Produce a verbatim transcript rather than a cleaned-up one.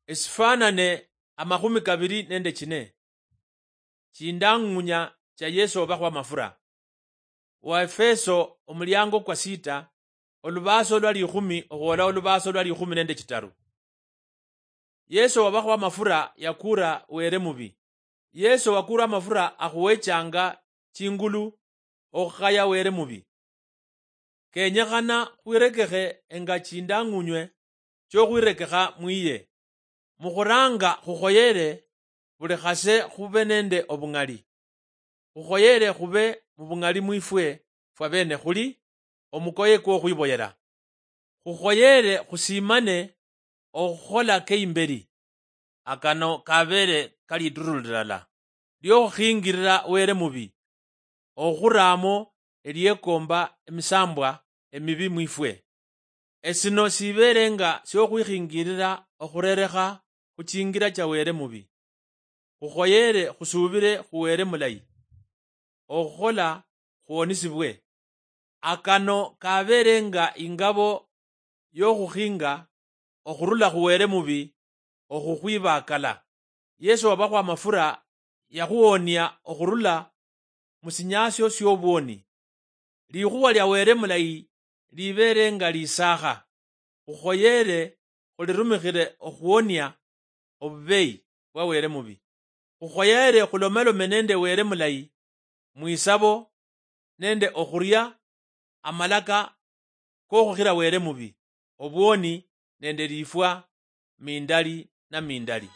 Esifanane amakhumi kabiri nende chine. Chindang'unya cha Yesu obakhwa amafura. Waefeso omuliango kwa sita, olubaso lwa likhumi okhwola olubaso lwa likhumi nende chitaru. Yesu obakhwa amafura yakura were mubi. Yesu wakura amafura akhuwechanga chingulu okhukhaya were mubi. Kenyekhana khwirekekhe enga chindang'unywe chiokhwirekekha mwiye. Mukhuranga khukhoyere buli khase khube nende obung'ali. Khukhoyere khube mubung'ali mwifwe fwabene khuli omukoye kwokhwiboyera. Khukhoyere khusimane okhukhola keimberi. Akano kabere kaliduru lilala liokhukhingirira were mubi, okhuramo eliekomba emisambwa emibi mwifwe. Esino sibeere nga siokhwikhingirira okhurerekha khuchingira cha were mubi. Khukhoyere khusubire khu were mulayi, okhukhola khwonisibwe. Akano kabeere nga ingabo yokhukhinga okhurula khu were mubi okhukhwibakala. Yesu wabakhwa amafura yakhuwonia okhurula musinyasio siobwoni. Likhuwa lia were mulayi libeere nga lisakha, khukhoyere khulirumikhire okhuwonia obubeyi bwa were mubi. Khukhoyere khulomelome nende were mulayi mwisabo nende okhuria amalaka kokhukhira were mubi, obwoni nende lifwa mindali na mindali.